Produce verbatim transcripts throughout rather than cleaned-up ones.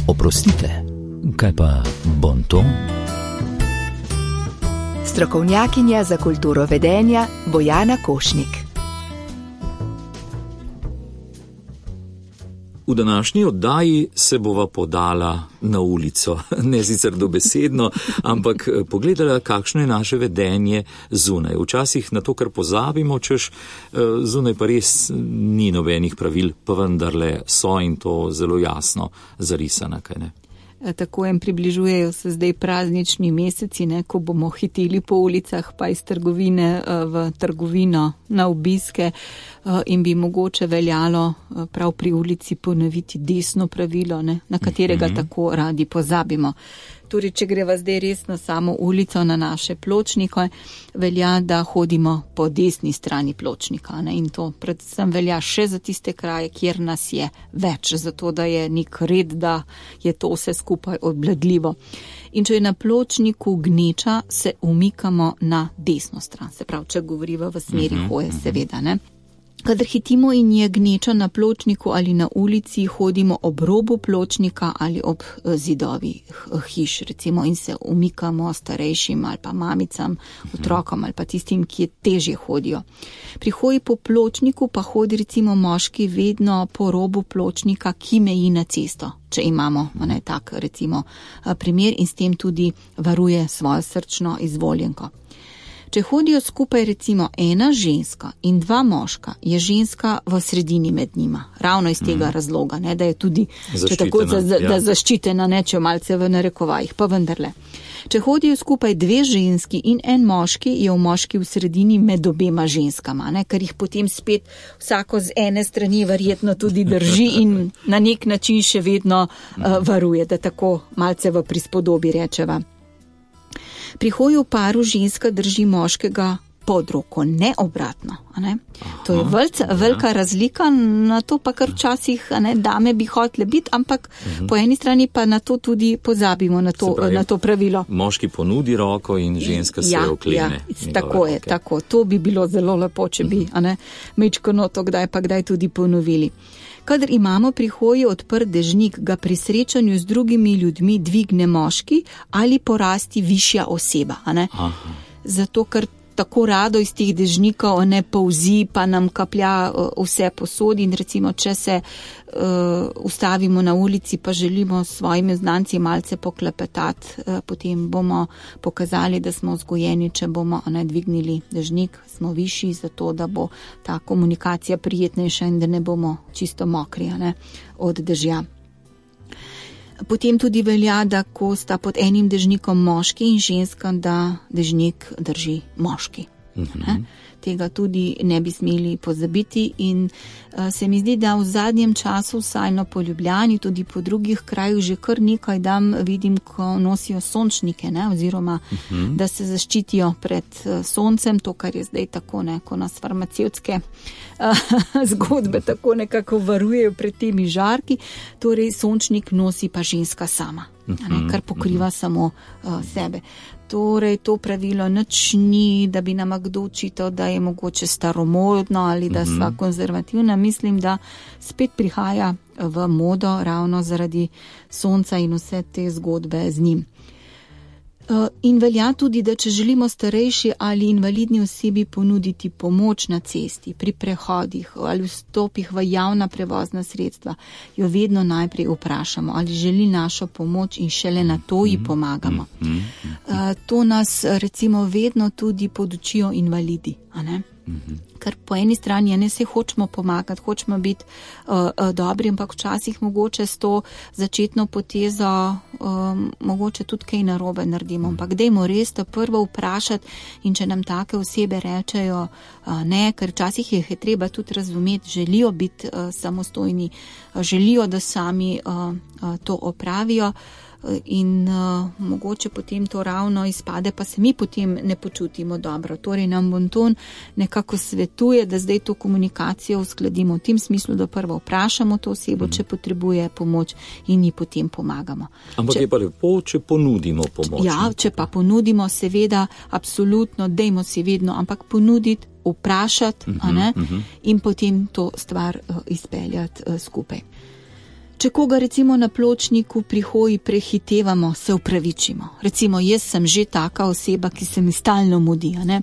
Oprostite, kaj pa bonton? Strokovnjakinja za kulturo vedenja Bojana Košnik. V današnji oddaji se bova podala na ulico, ne sicer dobesedno, ampak pogledala, kakšno je naše vedenje zunaj. Včasih na to, kar pozabimo, češ zunaj pa res ni nobenih pravil, pa vendarle so in to zelo jasno zarisana, kaj ne? Tako jim približujejo se zdaj praznični meseci, ne, ko bomo hiteli po ulicah pa iz trgovine v trgovino na obiske in bi mogoče veljalo prav pri ulici ponoviti desno pravilo, ne, na katerega mm-hmm. tako radi pozabimo. Torej, če greva zdaj res na samo ulico, na naše pločnike, velja, da hodimo po desni strani pločnika. Ne? In to predvsem velja še za tiste kraje, kjer nas je več, zato da je nek red, da je to vse skupaj obvladljivo. In če je na pločniku gneča, se umikamo na desno stran. Se pravi, če govoriva v smeri hoje, seveda, ne. Kadar hitimo in je gneča na pločniku ali na ulici, hodimo ob robu pločnika ali ob zidovi hiš, recimo, in se umikamo starejšim ali pa mamicam, otrokom ali pa tistim, ki težje hodijo. Pri hoji po pločniku pa hodi recimo moški vedno po robu pločnika, ki meji na cesto, če imamo ne, tak recimo primer, in s tem tudi varuje svojo srčno izvoljenko. Če hodijo skupaj recimo ena ženska in dva moška, je ženska v sredini med njima. Ravno iz tega mm. razloga, ne, da je tudi če tako, za, za, ja. da zaščitena, ne, če malce v narekovajih, pa vendarle. Če hodijo skupaj dve ženski in en moški, je v moški v sredini med obema ženskama, ne, ker jih potem spet vsako z ene strani verjetno tudi drži in na nek način še vedno uh, varuje, da tako malce v prispodobi rečeva. Pri hoju v paru ženska drži moškega pod roko, ne obratno. Ne? To je velca, velika razlika, na to pa kar včasih ne, dame bi hotele biti, ampak uh-huh. po eni strani pa na to tudi pozabimo, na to, pravi, na to pravilo. Moški ponudi roko in ženska se ja, oklene. Ja, tako je, roke. Tako. To bi bilo zelo lepo, če bi uh-huh. mečkano to kdaj pa kdaj tudi ponovili. Kadar imamo pri hoji odprt dežnik, ga pri srečanju z drugimi ljudmi dvigne moški ali porasti višja oseba. Zato, ker tako rado iz teh dežnikov ne polzi, pa nam kaplja vse posodi in recimo, če se uh, ustavimo na ulici, pa želimo s svojimi znanci malce poklepetati, uh, potem bomo pokazali, da smo vzgojeni, če bomo ne, dvignili dežnik, smo višji, zato da bo ta komunikacija prijetnejša in da ne bomo čisto mokri ne, od dežja. Potem tudi velja, da ko sta pod enim dežnikom moški in ženska, da dežnik drži moški. Uh-huh. Tega tudi ne bi smeli pozabiti in uh, se mi zdi, da v zadnjem času, vsaj no po Ljubljani, tudi po drugih krajih že kar nekaj dam vidim, ko nosijo sončnike, ne, oziroma uh-huh. da se zaščitijo pred uh, soncem, to, kar je zdaj tako, ne, ko nas farmacevtske uh, zgodbe tako nekako varujejo pred temi žarki, torej sončnik nosi pa ženska sama, uh-huh. ne, kar pokriva uh-huh. samo uh, sebe. Torej, to pravilo nič ni, da bi nam kdo očital, da je mogoče staromodno ali da sva konzervativna. Mislim, da spet prihaja v modo ravno zaradi sonca in vse te zgodbe z njim. In velja tudi, da če želimo starejši ali invalidni osebi ponuditi pomoč na cesti, pri prehodih ali vstopih v javna prevozna sredstva, jo vedno najprej vprašamo, ali želi našo pomoč in šele na to ji pomagamo. To nas recimo vedno tudi podučijo invalidi, a ne? Ker po eni strani ne se hočemo pomagati, hočemo biti uh, uh, dobri, ampak včasih mogoče s to začetno potezo um, mogoče tudi kaj narobe naredimo. Ampak dajmo res to prvo vprašati in če nam take osebe rečejo uh, ne, ker včasih je treba tudi razumeti, želijo biti uh, samostojni, uh, želijo, da sami uh, uh, to opravijo. In uh, mogoče potem to ravno izpade, pa se mi potem ne počutimo dobro. Torej nam bonton nekako svetuje, da zdaj to komunikacijo uskladimo v tem smislu, da prvo vprašamo to osebo, mm. če potrebuje pomoč in ji potem pomagamo. Ampak če, je pa lepo, če ponudimo pomoč. Ja, če pa ponudimo, seveda, absolutno, dejmo si vedno, ampak ponuditi, vprašati, uh-huh, a ne, uh-huh. in potem to stvar uh, izpeljati uh, skupaj. Če koga recimo na pločniku pri hoji prehitevamo, se upravičimo. Recimo, jaz sem že taka oseba, ki se mi stalno mudi, a ne?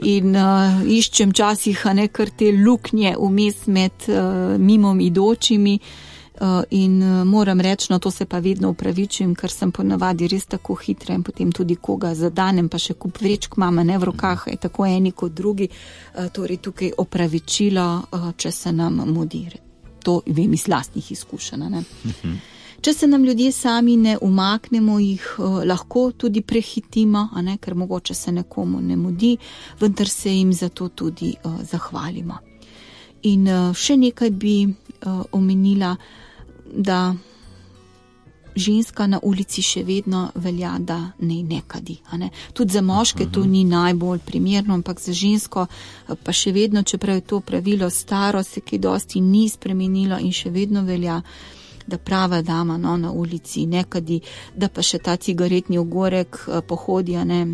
In uh, iščem časih, a ne, kar te luknje vmes med uh, mimom idočimi. Uh, in uh, moram reči, no to se pa vedno upravičujem, ker sem ponavadi res tako hitra in potem tudi koga zadanem, pa še kup vrečk mama ne v rokah, je tako eni kot drugi, uh, torej tukaj opravičilo, uh, če se nam mudi. To vem iz lastnih izkušenj, ne. Če se nam ljudje sami ne umaknemo, jih uh, lahko tudi prehitimo, a ne, ker mogoče se nekomu ne mudi, vendar se jim za to tudi uh, zahvalimo. In uh, še nekaj bi uh, omenila, da ženska na ulici še vedno velja, da ne nekadi. A ne? Tudi za moške to ni najbolj primerno, ampak za žensko pa še vedno, čeprav je to pravilo staro, se kaj dosti ni spremenilo in še vedno velja, da prava dama no, na ulici nekadi, da pa še ta cigaretni ogorek pohodi, a ne,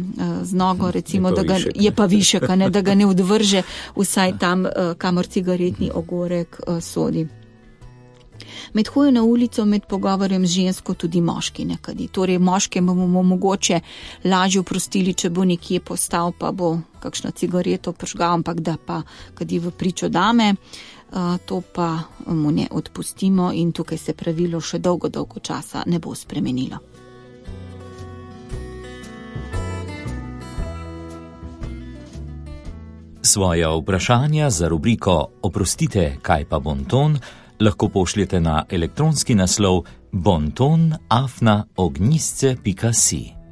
z nogo, recimo, je pa, da ga, višek, je pa višek, a ne, da ga ne odvrže vsaj tam, kamor cigaretni ogorek sodi. Med hojo na ulico, med pogovorjem z žensko tudi moški nekadi. Torej, moške bomo mogoče lažje oprostili, če bo nekje postal, pa bo kakšno cigareto pržgal, ampak da pa, kadi v pričo dame, to pa mu ne odpustimo in tukaj se pravilo še dolgo, dolgo časa ne bo spremenilo. Svoja vprašanja za rubriko Oprostite, kaj pa bonton, lahko pošljete na elektronski naslov bonton afna ognjisce pika si.